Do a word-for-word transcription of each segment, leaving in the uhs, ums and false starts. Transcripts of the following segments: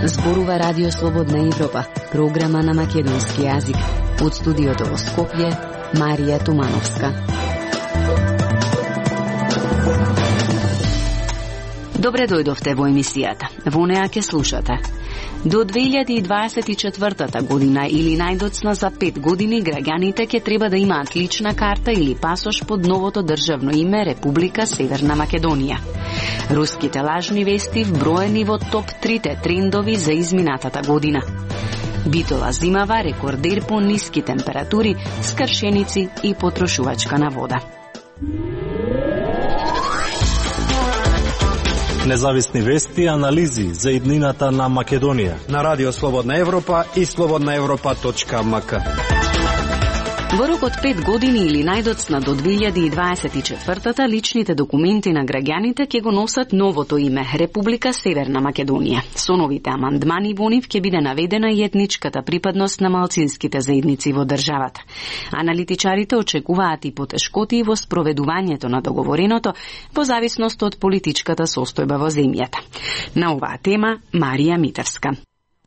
Зборува Радио Слободна Европа, програма на македонски јазик. Од студиото во Скопје, Марија Тумановска. Добре дојдовте во емисијата. Во неа ќе слушате. До две илјади и дваесет и четвртата година или најдоцна за пет години граѓаните ќе треба да имаат лична карта или пасош под новото државно име Република Северна Македонија. Руските лажни вести вброени во топ трите трендови за изминатата година. Битола зимава рекордер по ниски температури, скршеници и потрошувачка на вода. Независни вести и анализи за иднината на Македонија на Радио Слободна Европа и слободна европа точка ем ка. Во рок од пет години или најдоцна до две илјади и дваесет и четвртата личните документи на граѓаните ќе го носат новото име Република Северна Македонија. Со новите амандмани во нив ќе биде наведена и етничката припадност на малцинските заедници во државата. Аналитичарите очекуваат и потешкоти во спроведувањето на договореното во зависност од политичката состојба во земјата. На оваа тема Марија Митевска.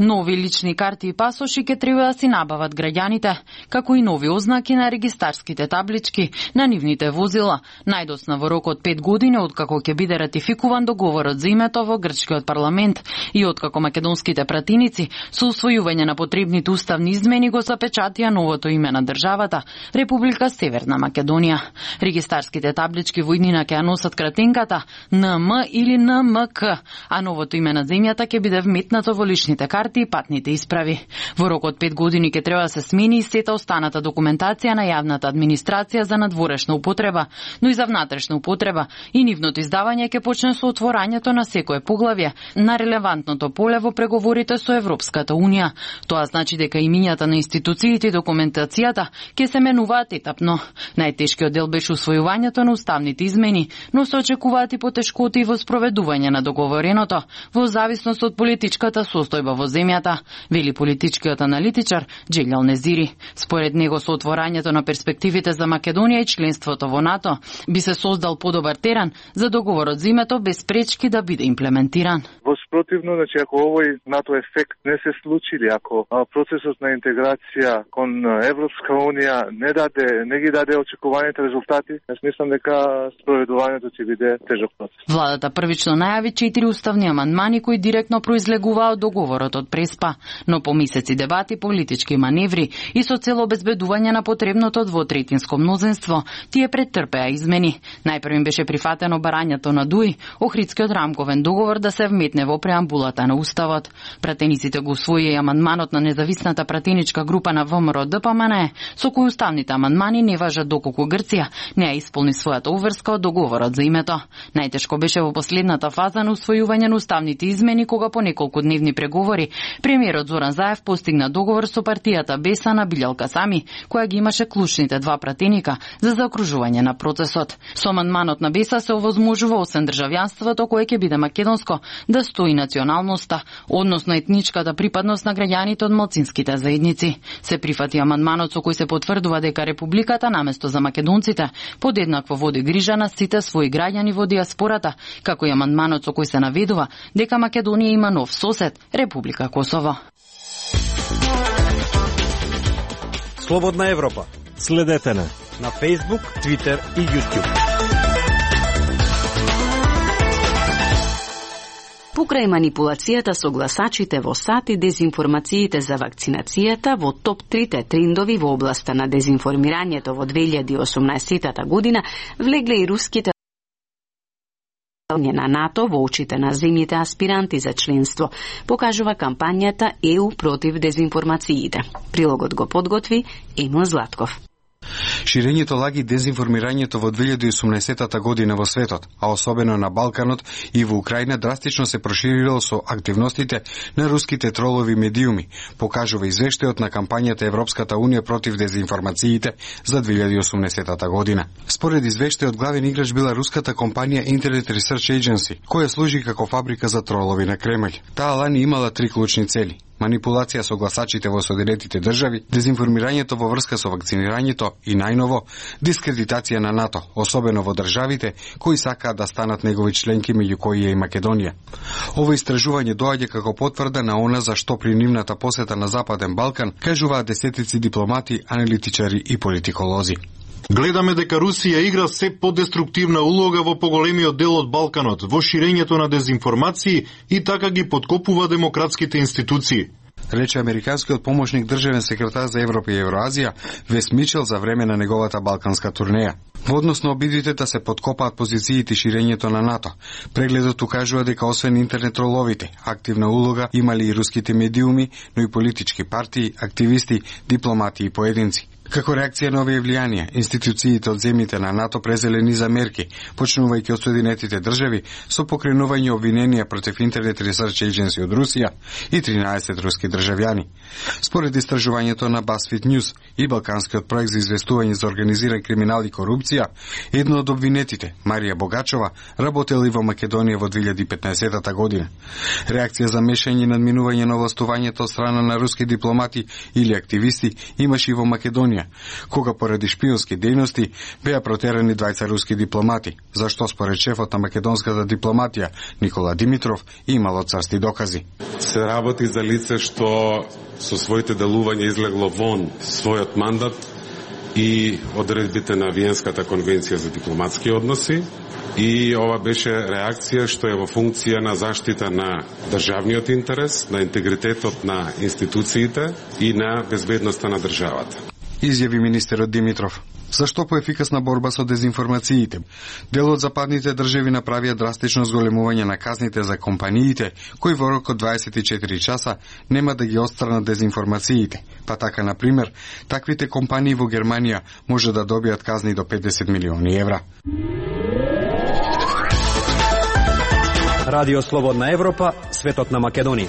Нови лични карти и пасоши ќе треба да си набават граѓаните, како и нови ознаки на регистарските таблички на нивните возила, најдоцна во рок од пет години откако ќе биде ратификуван договорот за името во грчкиот парламент и откако македонските пратеници со усвојување на потребните уставни измени го запечатија новото име на државата Република Северна Македонија. Регистарските таблички во иднина ќе ја носат кратенката Н М или Н М К, а новото име на земјата ќе биде вметнато во личните карти и патните исправи. Во рок од пет години ќе треба да се смени и сета останата документација на јавната администрација за надворешна употреба, но и за внатрешна употреба, и нивното издавање ќе почне со отворањето на секое поглавје на релевантното поле во преговорите со Европската унија. Тоа значи дека имињата на институциите и документацијата ќе се менуваат етапно. Најтешкиот дел беше усвојувањето на уставните измени, но се очекуваат и потешкоти во спроведување на договореното во зависност од политичката состојба во земјата, вели политичкиот аналитичар Джелјал Незири. Според него со отворањето на перспективите за Македонија и членството во НАТО би се создал подобар терен за договорот за името без пречки да биде имплементиран. Во спротивно, значи ако овој НАТО ефект не се случили, ако процесот на интеграција кон Европска унија не даде, не ги даде очекуваните резултати, јас мислам дека спроведувањето ќе биде тежок процес. Владата првично најави четири уставни амандмани кои директно произлегуваа од договорот од Преспа, но по месеци дебати, политички маневри и со цел обезбедување на потребното двотретинско мнозинство, тие претрпеа измени. Најпрв им беше прифатено барањето на Дуј, Охридскиот рамковен договор да се вметне во преамбулата на Уставот. Пратениците го усвоија и амандманот на независната пратеничка група на Вэ М Р Д П М Н Е, со кој уставните амандмани не важат доколку Грција не ја исполни својата уврска од договорот за името. Најтешко беше во последната фаза на усвојување на уставните измени, кога по неколку дневни преговори премиерот Зоран Заев постигна договор со партијата Беса на Билјал Касами, која ги имаше клучните два пратеника за заокружување на процесот. Со амандманот на Беса се овозможува освен државјанството кое ќе биде македонско, да стои националноста, односно етничката припадност на граѓаните од малцинските заедници. Се прифати амандманот со кој се потврдува дека републиката наместо за македонците подеднакво води грижа на сите своји граѓани во диаспората, како и амандманот со кој се наведува дека Македонија има нов сосед, Република Косово. Слободна Европа. Следете на на Facebook, Twitter и YouTube. Покрај манипулацијата со гласачите во САД и дезинформациите за вакцинацијата, во топ трите трендови во областа на дезинформирањето во две илјади и осумнаесетата година влегле и руските на НАТО во очите на земјите аспиранти за членство, покажува кампањата Е У против дезинформациите. Прилогот го подготви Емил Златков. Ширењето лаги дезинформирањето во две илјади и осумнаесетата година во светот, а особено на Балканот и во Украина драстично се проширило со активностите на руските тролови медиуми, покажува извештајот на кампањата Европската унија против дезинформациите за две илјади и осумнаесетата година. Според извештајот, главен играч била руската компанија Internet Research Agency, која служи како фабрика за тролови на Кремљ. Таа лани имала три клучни цели: манипулација со гласачите во Соединетите држави, дезинформирањето во врска со вакцинирањето и најново дискредитација на НАТО, особено во државите кои сакаат да станат негови членки, меѓу кои е и Македонија. Ова истражување доаѓа како потврда на она за што при нивната посета на Западен Балкан кажуваат десетици дипломати, аналитичари и политиколози. Гледаме дека Русија игра се подеструктивна улога во поголемиот дел од Балканот, во ширењето на дезинформации и така ги подкопува демократските институции, рече американскиот помошник државен секретар за Европа и Евроазија Вес Мичел за време на неговата балканска турнеја. Во однос на обидите да се подкопаат позициите и ширењето на НАТО, прегледот укажува дека освен интернет троловите, активна улога имали и руските медиуми, но и политички партии, активисти, дипломати и поединци. Како реакција на овие влијанија, институциите од земјите на НАТО презеле низа мерки, почнувајќи од Соединетите држави со покренување обвиненија против Internet Research Agency од Русија и тринаесет руски државјани. Според истражувањето на BuzzFeed News и Балканскиот проект за известување за организиран криминал и корупција, едно од обвинетите, Марија Богачова, работела и во Македонија во две илјади и петнаесетта година. Реакција за мешање и надминување на властувањето од страна на руски дипломати или активисти имаше и во Македонија, кога поради шпионски дејности беа протерани двајца руски дипломати, зашто според шефот на македонската дипломатија Никола Димитров имало црсти докази. Се работи за лице што со своите делувања излегло вон својот мандат и одредбите на Виенската конвенција за дипломатски односи, и ова беше реакција што е во функција на заштита на државниот интерес, на интегритетот на институциите и на безбедноста на државата, изјави министерот Димитров. Зашто поефикасна борба со дезинформациите? Дел од западните држави направија драстично зголемување на казните за компаниите, кои во рок од дваесет и четири часа нема да ги отстранат дезинформациите. Па така, на пример, таквите компании во Германија може да добијат казни до петдесет милиони евра. Радио Слободна Европа, светот на Македонија.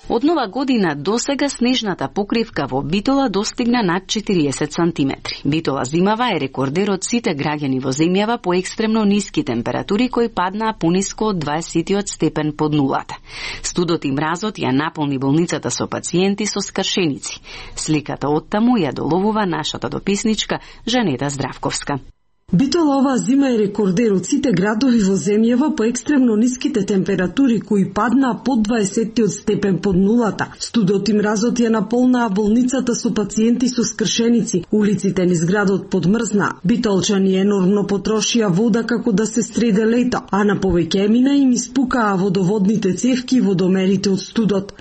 Од нова година досега снежната покривка во Битола достигна над четириесет сантиметри. Битола зимава е рекордер од сите граѓани во земјава по екстремно ниски температури кои паднаа пониско од дваесетиот степен под нулата. Студот и мразот ја наполни болницата со пациенти со скршеници. Сликата оттаму ја доловува нашата дописничка Жанета Здравковска. Битола оваа зима е рекордер од сите градови во земјава по екстремно ниските температури кои паднаа под дваесетиот степен под нулата. Студот и мразот ја наполнаа болницата со пациенти со скршеници. Улиците низ градот подмрзнаа. Битолчани енормно потрошија вода како да се среде лето, а на повеќе емина им испукаа водоводните цевки и водомерите од студот.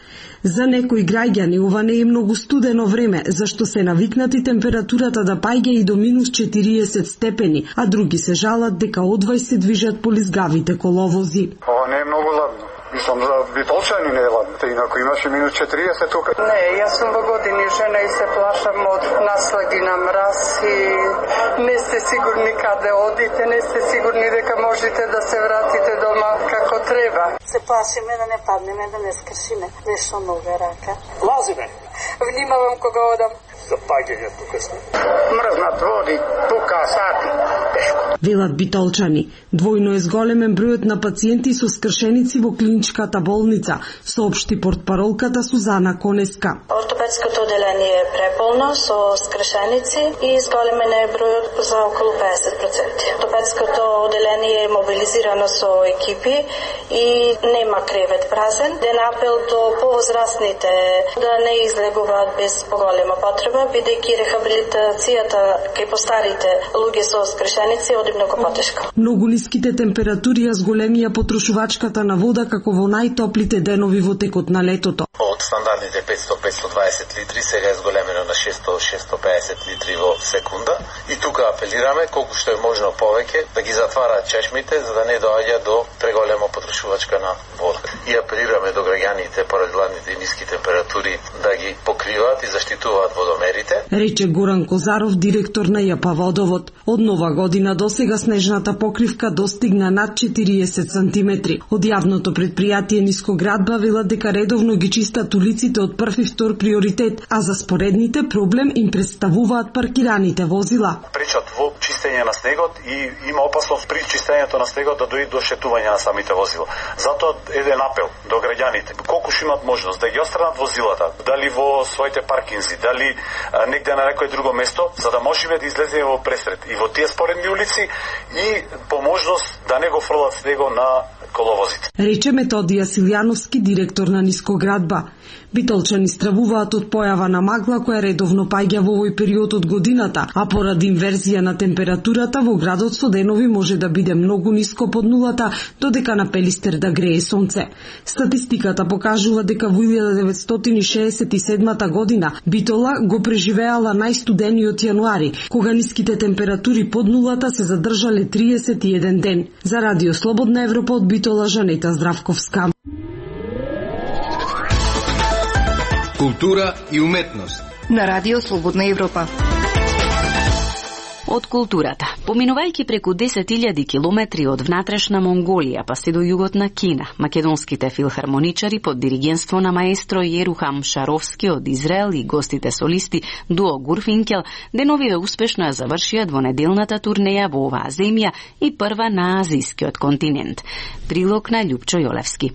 За некои граѓани ова не е многу студено време, зашто се навикнати температурата да паѓа и до минус четириесет степени, а други се жалат дека одвај се движат по лизгавите коловози. Ова не е многу ладно. Мислам, за битолчани не е ладно. Те инако имаше минус четириесет тука. Не, јас сум во години жена и се плашам од наслаги на мраз и не сте сигурни каде одите, не сте сигурни дека можете да се вратите дома како треба. Се плашиме да не паднеме, да не скршиме. Нешто нога рака. Лазиме. Внимавам кога одам. За паѓање тука сме. Мрзнат води, тука сати. Тешко. Велат битолчани. Двојно е зголемен бројот на пациенти со скршеници во клиничката болница, соопшти портпаролката Сузана Конеска. Ортопедското оделение е преполно со скршеници и зголемен е бројот за околу педесет проценти. Ортопедското оделение е мобилизирано со екипи и нема кревет празен. Ден апел до повозрастните да не излегуваат без поголема потреба, бидејќи рехабилитацијата кај постарите луѓе со скршеници оди многу потешко. Многу ниските температури ја зголемија потрошувачката на вода како во најтоплите денови во текот на летото. Од стандардните петстотини до петстотини и дваесет литри сега е зголемено на шестоста до шестоста и педесет литри во секунда. И тука апелираме колку што е можно повеќе да ги затвараат чешмите за да не доаѓа до преголема потрошувачка на вода. И апелираме до граѓаните поради ладните и ниски температури да ги покријат откриваат и заштитуваат водомерите. Рече Горан Козаров, директор на ЈП Водовод. Од нова година до сега снежната покривка достигна над четириесет сантиметри. Од јавното предпријатие Нискоградба велат дека редовно ги чистат улиците од прв и втор приоритет, а за споредните проблем им представуваат паркираните возила. Пречат во чистење на снегот и има опасност при чистењето на снегот да дојде до шетување на самите возила. Затоа еден апел до граѓаните. Колку што имат можност да ги отстранат возилата, дали во своите паркинзи, дали а, негде на некое друго место, за да можеме да излеземе во пресред и во тие споредни улици и по можност да не го фрлат снего на коловозите. Рече Методија Силјановски, директор на Нискоградба. Битолчани стравуваат од појава на магла која редовно паѓа во овој период од годината, а поради инверзија на температурата во градот со денови може да биде многу ниско под нулата, додека на Пелистер да грее сонце. Статистиката покажува дека во илјада деветстотини шеесет и седмата година Битола го преживеала најстудениот јануари, кога ниските температури под нулата се задржале триесет и еден ден. За Радио Слободна Европа од Битола, Жанета Здравковска. Култура и уметност на Радио Слободна Европа. Од културата, поминувајќи преку десет илјади километри од внатрешна Монголија па се до југот на Кина, македонските филхармоничари под диригентство на маестро Јерухам Шаровски од Израел и гостите солисти Дуо Гурфинкел деновиве успешно ја завршија двонеделната турнеја во оваа земја и прва на азискиот континент. Прилог на Љупчо Јолевски.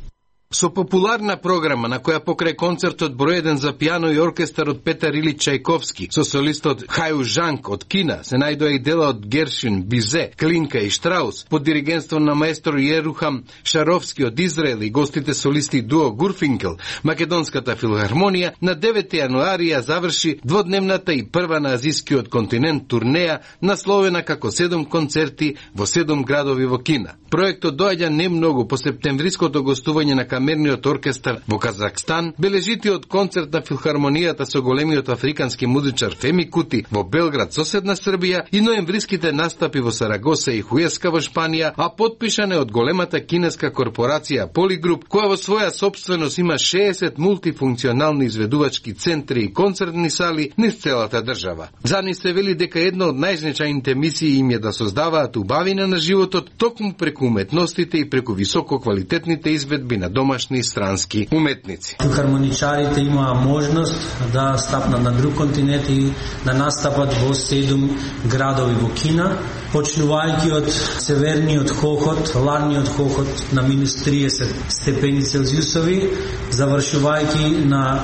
Со популарна програма на која покрај концертот број еден за пијано и оркестар од Петар Илич Чајковски, со солистот Хају Жанк од Кина, се најдоа и дела од Гершвин, Бизе, Клинка и Штраус, под диригентство на маестро Јерухам Шаровски од Израел и гостите солисти Дуо Гурфинкел, македонската филхармонија на девети јануари ја заврши дводневната и прва на азискиот континент турнеја, насловена како седум концерти во седум градови во Кина. Проектот доаѓа не многу по септемвриското гостување на камерниот оркестар во Казахстан, бележитиот концерт на филхармонијата со големиот африкански музичар Феми Кути во Белград, соседна Србија, и ноемвриските настапи во Сарагоса и Хуеска во Шпанија, а подпишане од големата кинеска корпорација Полигруп, која во своја собственост има шеесет мултифункционални изведувачки центри и концертни сали низ целата држава. За нив се вели дека една од најзначајните мисии им е да создаваат убавина на животот токму преку уметностите и преку високо квалитетните изведби на домашни и странски уметници. Филхармоничарите имаа можност да стапнат на друг континент и да настапат во седум градови во Кина, почнувајќи од северниот Хохот, ладниот Хохот на минус триесет степени Целзиусови, завршувајќи на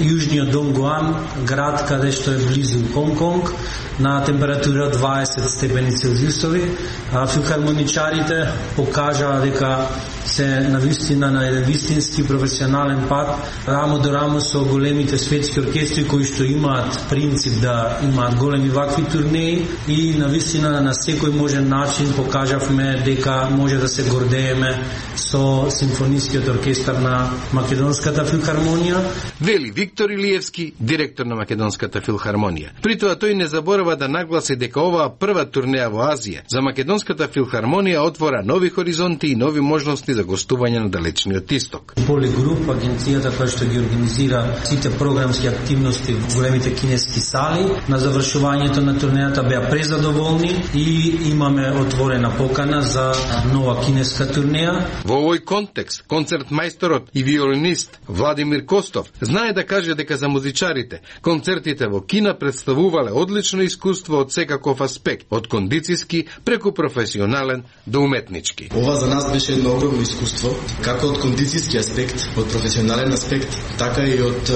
јужниот Донгуан, град каде што е близу Хонг-Конг, на температура дваесет степени Целзиусови. Филхармоничарите покажаа дека се навистина на еден вистински професионален пат, рамо до рамо со големите светски оркестри кои што имаат принцип да имаат големи вакви турнеи, и навистина на секој можен начин покажавме дека може да се гордееме со симфонискиот оркестар на Македонската филхармонија. Вели Виктор Илиевски, директор на Македонската филхармонија. При тоа тој не заборава да нагласи дека оваа прва турнеја во Азија за Македонската филхармонија отвора нови хоризонти и нови можности за гостување на далечниот исток. Полигруп, агенцијата која што ги организира сите програмски активности во големите кинески сали, на завршувањето на турнејата беа презадоволни и имаме отворена покана за нова кинеска турнеја. Во овој контекст, концерт мајсторот и виолинист Владимир Костов знае да каже дека за музичарите концертите во Кина представувале одлично искуство од секаков аспект, од кондицијски преку професионален до уметнички. Ова за нас беше едно огромно искуство, како од кондицијски аспект, од професионален аспект, така и од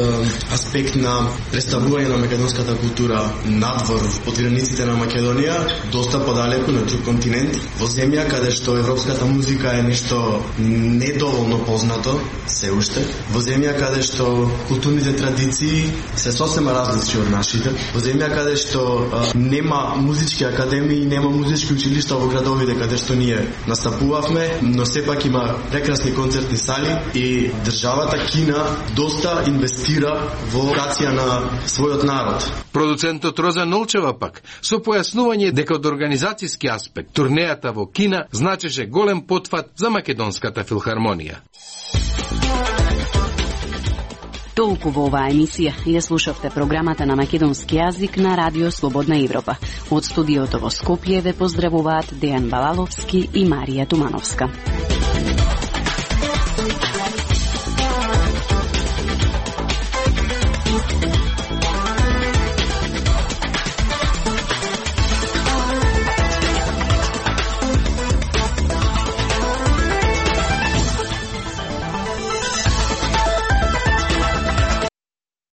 аспект на представување на македонската култура надвор од границите на Македонија, доста подалеку на друг континент, во земја каде што европската музика е нешто недоволно познато, се уште, во земја каде што културните традиции се сосема различни од нашите, во земја каде што а, нема музички академии, нема музички училишта во градовите каде што ние настапувавме, но сепак има прекрасни концертни сали и државата Кина доста инвестира во едукација на својот народ. Продуцентот Роза Нолчева пак со појаснување дека од организацијски аспект турнејата во Кина значеше голем потфат за Македонската филхармонија. Толку во оваа емисија. Ја слушавте програмата на македонски јазик на Радио Слободна Европа. Од студиото во Скопје ве поздравуваат Дејан Балаловски и Марија Тумановска.